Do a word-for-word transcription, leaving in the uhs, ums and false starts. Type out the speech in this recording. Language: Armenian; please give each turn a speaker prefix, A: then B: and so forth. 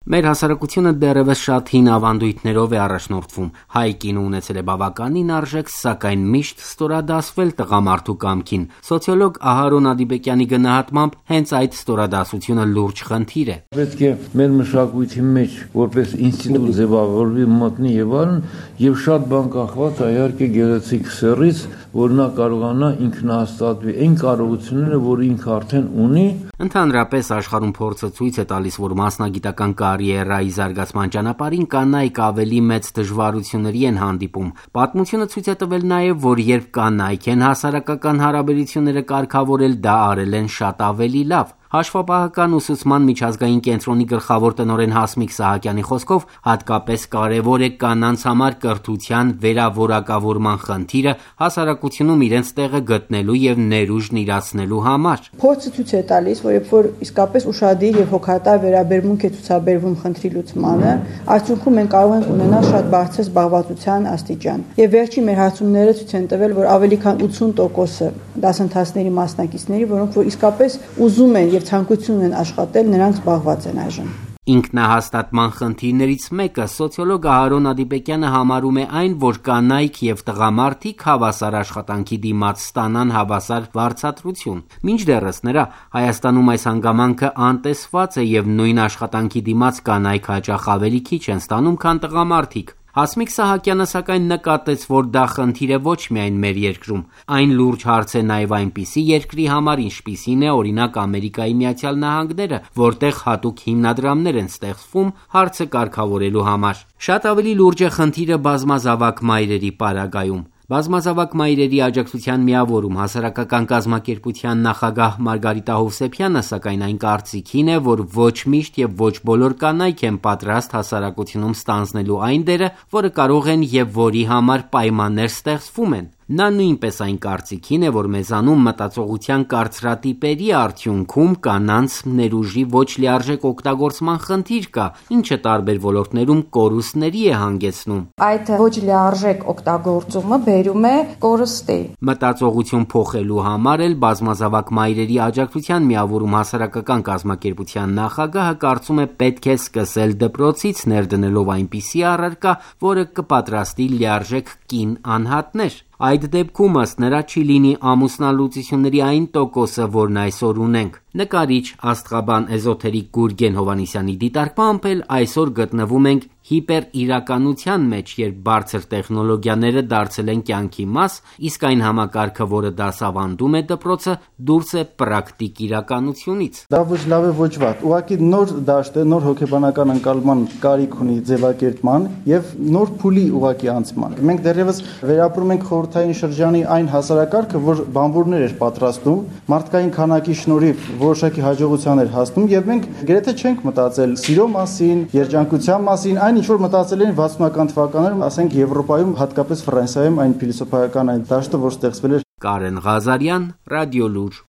A: Մեր հասարակությունը դեռևս շատ հին ավանդույթներով է առաջնորդվում։ Հայ կինը ունեցել է բավականին արժեք, սակայն միշտ ստորադասվել տղամարդու կամքին։ Սոցիոլոգ Ահարոն Ադիբեկյանի գնահատմամբ հենց այդ ստորադասությունը լուրջ խնդիր է։
B: Պետք է մեր մշակույթի մեջ որպես ինստիտուտ ձևավորվի, մտնի եւ այլն, եւ շատ բան կախված է իհարկե գեղեցիկ սեռից, որ նա կարողանա ինքնահաստատվի այն կարողությունները, որ ինքը արդեն ունի։
A: Ընդհանրապես աշխարհում փորձը ցույց է տալիս, որ մասնագիտական կարիերայի զարգացման ճանապարհին կանայք ավելի մեծ դժվարությունների են հանդիպում։ Պատմությունը ցույց է տվել նաև, որ երբ կանայք են հասարակական հարաբերությունները կարգավորել, դա արել են շատ ավելի լավ։ Հաշվապահական ուսուցման միջազգային կենտրոնի գլխավոր տնօրեն Հասմիկ Սահակյանի խոսքով հատկապես կարևոր է կանանց համար կրթության վերավորակավորման խնդիրը հասարակությունում իրենց տեղը գտնելու եւ ներուժն իրացնելու համար։
C: Փորձը ցույց է տալիս, որ երբ որ իսկապես ուշադիր եւ հոգատար վերաբերմունք է ցուցաբերվում խնդրի լուծմանը, արդյունքում մենք կարող ենք ունենալ շատ բարձր զբաղվածության աստիճան։ Եվ վերջին մեր հարցումները ցույց են տվել, որ ավելի քան ութսուն տոկոսը դասընթացների մասնակիցների, որոնք որ իսկապես ուզում են եւ ցանկություն են աշխատել, նրանք զբաղված են այժմ։
A: Ինքնահաստատման խնդիրներից մեկը սոցիոլոգ Ահարոն Ադիբեկյանը համարում է այն, որ կանայք եւ տղամարդիկ հավասար աշխատանքի դիմաց ստանան հավասար վարձատրություն։ Մինչդեռս նրա Հայաստանում այս հանգամանքը անտեսված է եւ նույն աշխատանքի դիմաց կանայք հաճախ ավելի քիչ են ստանում, քան տղամարդիկ։ Հասմիկ Սահակյանը սակայն նկատեց, որ դա խնդիր է ոչ միայն մեր երկրում, այն լուրջ հարց է նաև այնպիսի երկրի համար, ինչպիսին է օրինակ Ամերիկայի Միացյալ Նահանգները, որտեղ հատուկ հիմնադրամներ են ստեղծվում հարցը կարգավորելու համար։ Շատ ավելի լուրջ է խնդիրը բազմազավակ մայրերի պարագայում։ Բազմազավակ մայրերի աջակցության միավորում հասարակական կազմակերպության նախագահ Մարգարիտա Հովսեփյանը սակայն այն կարծիքին է, որ ոչ միշտ եւ ոչ բոլոր կանայք են պատրաստ հասարակությունում ստանձնելու այն դերը, որը կարող են եւ որի համար պայմաններ ստեղծվում են։ Նա նույնպես այն կարծիքին է, որ մեզանում մտածողության կարծրատիպերի արդյունքում կանանց ներուժի ոչ լիարժեք օգտագործման խնդիր կա, ինչը տարբեր ոլորտներում կորուստների է հանգեցնում։
D: Այդ ոչ լիարժեք օգտագործումը բերում է կորստի։
A: Մտածողություն փոխելու համար էլ բազմազավակ մայրերի աջակցության միավորում հասարակական կազմակերպության նախագահը կարծում է պետք է սկսել դպրոցից ներդնելով այնպիսի առարկա, որը կպատրաստի լիարժեք կին անհատներ։ Այդ դեպքում ըստ նրա չի լինի ամուսնալուծությունների այն տոկոսը, որն այսօր ունենք։ Նկարիչ, աստղաբան, էզոթերիկ Գուրգեն Հովհաննիսյանի դիտարկմամբ էլ այսօր գտնվում ենք հիպերիրականության մեջ, երբ բարձր տեխնոլոգիաները դարձել են կյանքի մաս, իսկ այն համակարգը, որը դասավանդում է դպրոցը, դուրս է պրակտիկ իրականությունից։
E: Դա ոչ լավ է, ոչ վատ։ Ուղղակի նոր դաշտ է, նոր հոգեբանական ընկալման կարիք ունի ձևակերպման եւ նոր փուլի ուղղակի անցման։ Մենք դեռևս վերապրում ենք խորհրդային շրջանի այն հասարակարգը, որ բանվորներ էր պատրաստում, մարդկային քանակի շնորհիվ որոշակի հաջողության էր հասնում եւ մենք գրեթե չենք մտածել սիրո մասին, երջանկության մասին, այն ինչ որ մտածել են վաթսունական թվականներում, ասենք Եվրոպայում, հատկապես Ֆրանսիայում այն փիլիսոփայական այն դաշտը, որ ստեղծվել էր։
A: Կարեն Ղազարյան, Ռադիոլուր։